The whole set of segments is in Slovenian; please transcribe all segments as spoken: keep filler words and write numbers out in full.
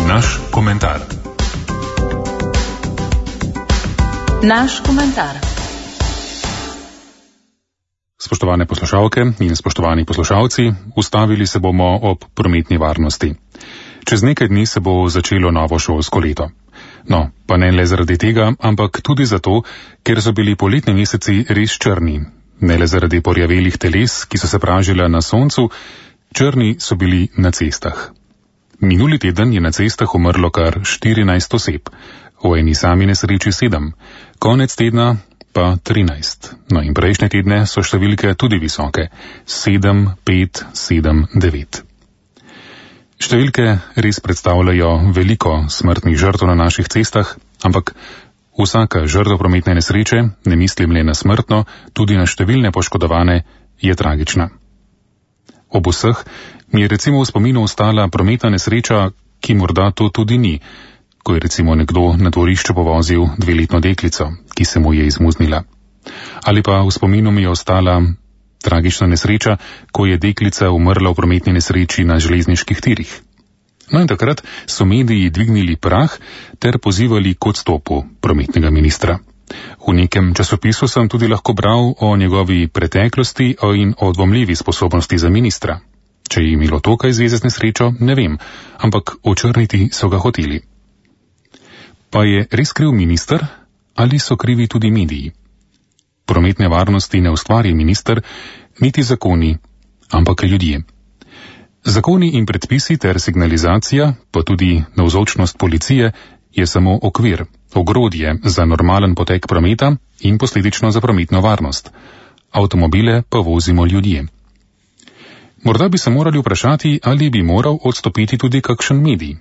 Naš komentar. Naš komentar. Spoštovane poslušalke in spoštovani poslušalci, ustavili se bomo ob prometni varnosti. Čez nekaj dni se bo začelo novo šolsko leto. No, pa ne le zaradi tega, ampak tudi zato, ker so bili poletni meseci res črni. Ne le zaradi porjavelih teles, ki so se pražila na soncu, črni so bili na cestah. Minuli teden je na cestah umrlo kar štirinajst oseb, v eni sami nesreči sedem, konec tedna pa trinajst. No in prejšnje tedne so številke tudi visoke, sedem, pet, sedem, devet. Številke res predstavljajo veliko smrtnih žrtev na naših cestah, ampak vsaka žrtev prometne nesreče, ne mislim le na smrtno, tudi na številne poškodovane, je tragična. Ob vseh mi je recimo v spominu ostala prometna nesreča, ki morda to tudi ni, ko je recimo nekdo na dvorišču povozil dveletno deklico, ki se mu je izmuznila. Ali pa v spominu mi je ostala tragična nesreča, ko je deklica umrla v prometni nesreči na železniških tirih. No in takrat so mediji dvignili prah ter pozivali k odstopu prometnega ministra. V nekem časopisu sem tudi lahko bral o njegovi preteklosti in o dvomljivi sposobnosti za ministra. Če je imelo to kaj zveze z nesrečo, ne vem, ampak očrniti so ga hoteli. Pa je res kriv minister ali so krivi tudi mediji? Prometne varnosti ne ustvari minister, niti zakoni, ampak ljudje. Zakoni in predpisi ter signalizacija, pa tudi navzočnost policije, je samo okvir, ogrodje za normalen potek prometa in posledično za prometno varnost. Avtomobile pa vozimo ljudje. Morda bi se morali vprašati, ali bi moral odstopiti tudi kakšen medij.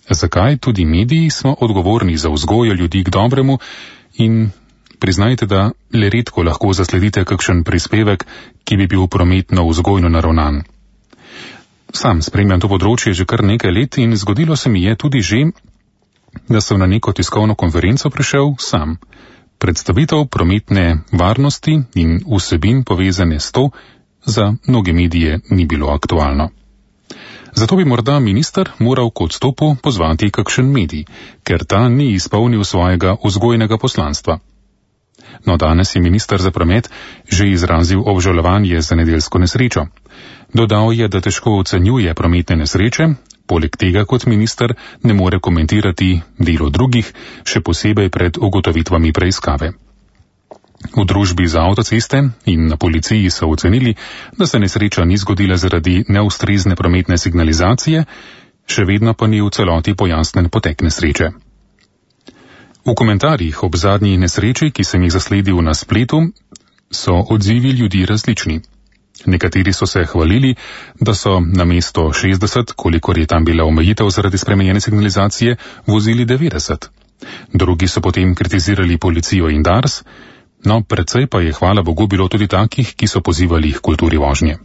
Zakaj tudi mediji smo odgovorni za vzgojo ljudi k dobremu in priznajte, da le redko lahko zasledite kakšen prispevek, ki bi bil prometno vzgojno naravnan. Sam spremljam to področje že kar nekaj let in zgodilo se mi je tudi že, da sem na neko tiskovno konferenco prišel sam. Predstavitev prometne varnosti in vsebin povezane s to za mnoge medije ni bilo aktualno. Zato bi morda minister moral k odstopu pozvati kakšen medij, ker ta ni izpolnil svojega vzgojnega poslanstva. No, danes je minister za promet že izrazil obžalovanje za nedeljsko nesrečo. Dodal je, da težko ocenjuje prometne nesreče, poleg tega kot minister ne more komentirati delo drugih, še posebej pred ugotovitvami preiskave. V družbi za avtoceste in na policiji so ocenili, da se nesreča ni zgodila zaradi neustrezne prometne signalizacije, še vedno pa ni v celoti pojasnen potek nesreče. V komentarjih ob zadnji nesreči, ki sem jih zasledil na spletu, so odzivi ljudi različni. Nekateri so se hvalili, da so namesto šestdeset, kolikor je tam bila omejitev zaradi spremenjene signalizacije, vozili devetdeset. Drugi so potem kritizirali policijo in Dars, no precej pa je hvala Bogu bilo tudi takih, ki so pozivali k kulturi vožnje.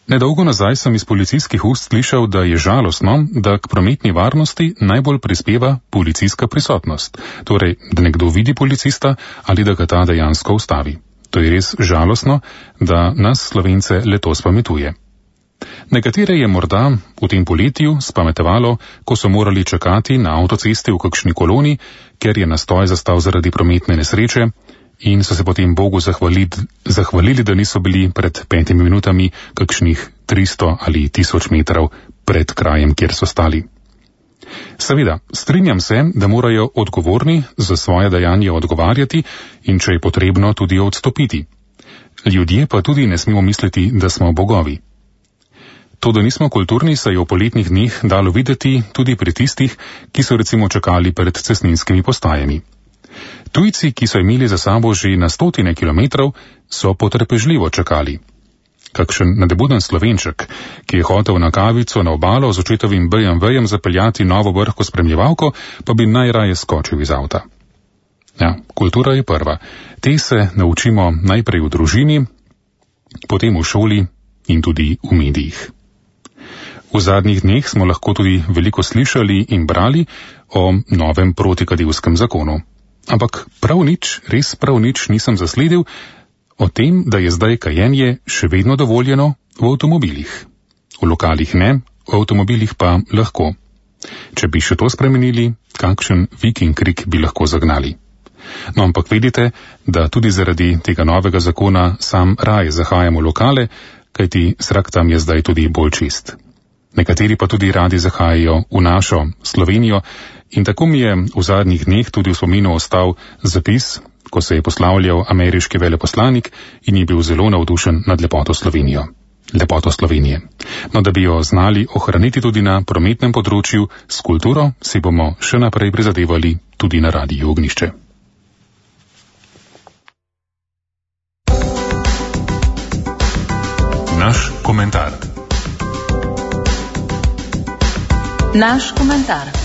Nedolgo nazaj sem iz policijskih ust slišal, da je žalostno, da k prometni varnosti najbolj prispeva policijska prisotnost, torej, da nekdo vidi policista ali da ga ta dejansko ustavi. To je res žalostno, da nas Slovence leto spametuje. Nekatere je morda v tem poletju spametevalo, ko so morali čakati na avtocesti v kakšni koloni, ker je nastoj zastal zaradi prometne nesreče in so se potem Bogu zahvalili, zahvalili, da niso bili pred petimi minutami kakšnih tristo ali tisoč metrov pred krajem, kjer so stali. Seveda, strinjam se, da morajo odgovorni za svoje dejanje odgovarjati in če je potrebno tudi odstopiti. Ljudje pa tudi ne smemo misliti, da smo bogovi. To, da nismo kulturni, se je v poletnih dneh dalo videti tudi pri tistih, ki so recimo čakali pred cestninskimi postajami. Tujci, ki so imeli za sabo že na stotine kilometrov, so potrpežljivo čakali. Kakšen nadebuden Slovenček, ki je hotel na kavico na obalo z očetovim be em vejem zapeljati novo vrhko spremljevalko, pa bi najraje skočil iz avta. Ja, kultura je prva. Te se naučimo najprej v družini, potem v šoli in tudi v medijih. V zadnjih dneh smo lahko tudi veliko slišali in brali o novem protikadilskem zakonu. Ampak prav nič, res prav nič nisem zasledil o tem, da je zdaj kajenje še vedno dovoljeno v avtomobilih. V lokalih ne, v avtomobilih pa lahko. Če bi še to spremenili, kakšen viking krik bi lahko zagnali. No, ampak vidite, da tudi zaradi tega novega zakona sam raje zahajamo v lokale, kajti zrak tam je zdaj tudi bolj čist. Nekateri pa tudi radi zahajajo v našo Slovenijo in tako mi je v zadnjih dneh tudi v spominu ostal zapis, ko se je poslavljal ameriški veleposlanik in je bil zelo navdušen nad lepoto Slovenijo. Lepoto Slovenije. No, da bi jo znali ohraniti tudi na prometnem področju, s kulturo si bomo še naprej prizadevali tudi na Radiu Ognjišče. Naš komentar. Naš komentar.